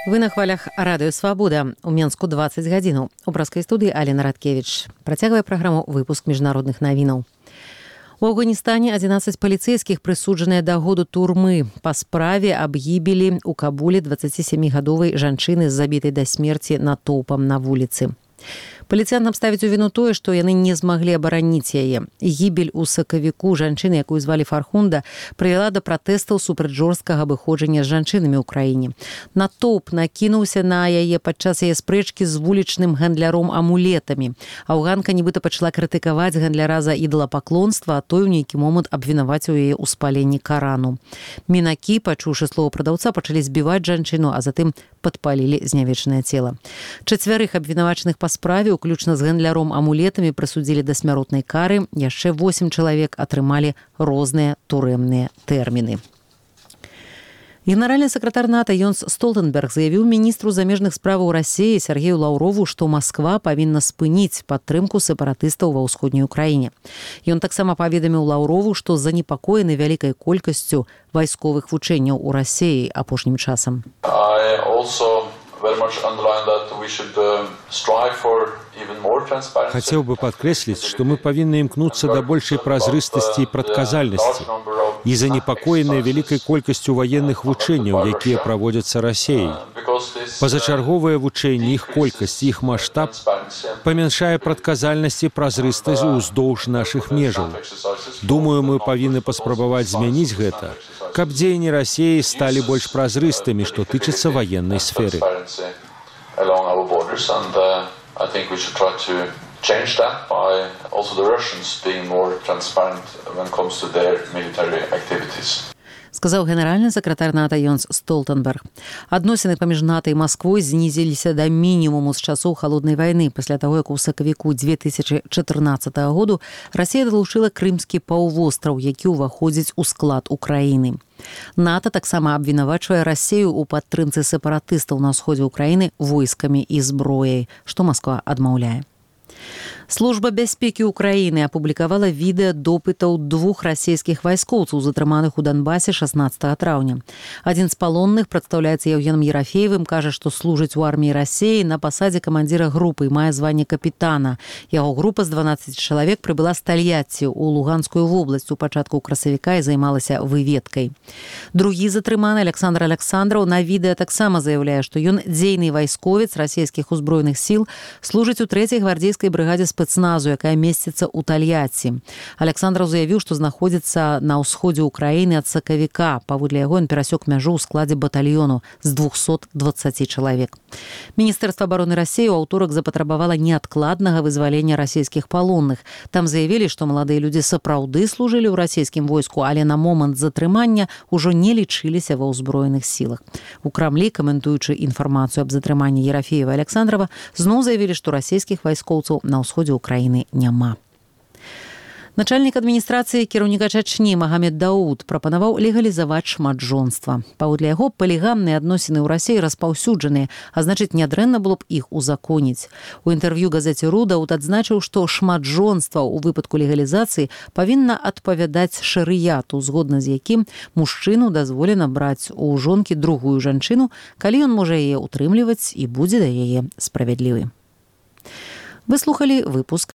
Вы на хвалях радыё Свабода. У Менску 20 гадзінаў. У браскай студыі Алена Радкевіч. Працягвае праграму выпуск міжнародных навінаў. У Афганістане 11 паліцэйскіх прысуджаныя да году турмы па справе аб гібелі ў Кабуле 27-гадовай жанчыны з забітай да смерці натоўпам на вуліцы. Паліцыянтам ставіць у віну тое, што яны не змаглі абараніць яе. Гібель у сакавіку жанчыны, якую звалі Фархунда, прывяла да пратэстаў супраць жорсткага абыходжання з жанчынамі ў краіне. Натоўп накінуўся на яе падчас яе спрэчкі з вулічным гандляром амулетамі. Афганка нібыта пачала крытыкаваць гандляра за ідалапаклонства, а той у нейкі момант абвінаваціў яе ў спаленні Карану. Мінакі, пачуўшы слова прадаўца, пачалі збіваць жанчыну, а затым падпалілі знявечанае цела. 4 абвінавачаных па справе, уключна з гандляром амулетамі, прысудзілі да смяротнай кары, яшчэ 8 чалавек атрымалі розныя турэмныя тэрміны. Генеральны сакратар НАТО Йонс Столтенберг заявіў міністру замежных справаў Расіі Сергею Лаўрову, што Масква павінна спыніць падтрымку сепаратыстаў ва ўсходняй Украіне. Ён таксама паведаміў Лаўрову, што занепакоены вялікай колькасцю вайсковых вучэнняў у Расіі апошнім часам. Хотел бы подкреслить, что мы повинны имкнуться до большей прозрыстости и прадказальности и занепокоенные великой колькостью военных вучэнняў, якія праводзяцца Расіяй. Пазачарговыя вучэнні, іх колькасць і іх маштаб памяншае прадказальнасць і празрыстасць уздоўж нашых межаў. Думаю, мы павінны паспрабаваць змяніць гэта, каб дзеянні Расіі сталі больш празрыстымі, што тычыцца военной сферы. Change that by also the Russians being more transparent when it comes to their military activities. Сказаў генеральны сакратар НАТО Йонс Столтенберг. Адносіны паміж НАТО і Масквой знізіліся да мінімуму з часоў халоднай вайны, пасля таго, як у сакавіку 2014 году Расія далучыла Крымскі паўвостраў, які ўваходзіць у склад Украіны. НАТО таксама абвінавачвае Расію ў падтрымцы сепаратыстаў на ўсходзе Украіны войскамі і зброяй, што Масква адмаўляе. Служба бяспекі Украіны апублікавала відэа допытаў 2 расійскіх вайскоўцаў, затрыманых у Донбасе 16 траўня. Адзін з палонных, прадстаўляецца Евгеном Ерафеевым, кажа, што служыць у арміі Расіі на пасадзе камандзіра групы і мае званне капітана. Яго група з 12 чалавек прыбыла з Тольятці ў Луганскую вобласць у пачатку красавіка і займалася выведкай. Другі затрыманы, Александр Александраў, на відэа таксама заяўляе, што ён дзейны вайсковец расійскіх узброеных сіл, служыць у 3-й гвардзейскай брыгадзе спецназу, якая месціцца ў Тольятці. Александраў заявіў, што знаходзіцца на ўсходзе Украіны ад сакавіка. Паводле яго ён перасёк мяжу ў складзе батальёну з 220 чалавек. Міністэрства абароны Расіі ў аўторак запатрабавала неадкладнага вызвалення расійскіх палонных. Там заявілі, што маладыя людзі сапраўды служылі ў расійскім войску, але на момант затрымання ўжо не лічыліся ва ўзброеных сілах. У Крамлі, каментуючы інфармацыю аб затрыманні Ерафеева і Александрава, зноў заявілі, што расійскіх вайскоўцаў на ўсходзе Украіны няма. Начальнік адміністрацыі кіраўніка Чачні Магамед Дауд прапанаваў легалізаваць шматжонства. Паводле яго, палігамныя адносіны ў Расіі распаўсюджаныя, а значыць, нядрэнна было б іх узаконіць. У інтэрв'ю газеце «Ру» Дауд адзначыў, што шматжонства ў выпадку легалізацыі павінна адпавядаць шарыяту, згодна з якім мужчыну дазволена браць у жонкі другую жанчыну, калі ён можа яе ўтрымліваць і будзе да яе справядлівы. Вы слухалі выпуск